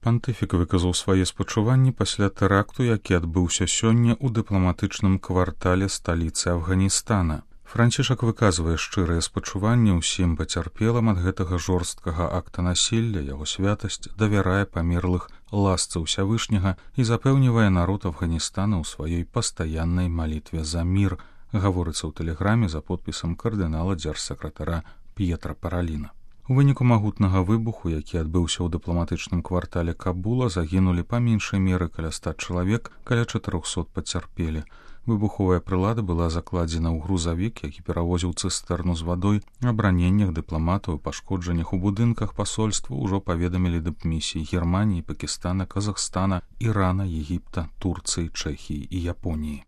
Пантыфік выказаў свае спачуванні пасля тэракту, які адбыўся сёння ў дыпламатычным квартале сталіцы Афганістана. Францішак выказвае шчырыя спачуванні ўсім пацярпелым ад гэтага жорсткага акта насілля, яго святасць давярае памерлых ласцы ўсявышняга і запэўнівае народ Афганістана ў сваёй пастаяннай малітве за мір, гаворыцца ў тэлеграме за подпісам кардынала дзяржсакратара П'етра Параліна. У выніку магутнага выбуху, які адбыўся ў дыпламатычным квартале Кабула, загінулі па меншай меры каля 100 чалавек, каля 400 пацярпелі. Выбуховая прылада была закладзена ў грузавік, які перавозіў цыстэрну з вадой. Аб раненнях дыпламатаў і пашкоджаннях у будынках пасольства ўжо паведамілі дыпмісіі Германіі, Пакістана, Казахстана, Ірана, Егіпта, Турцыі, Чэхіі і Японіі.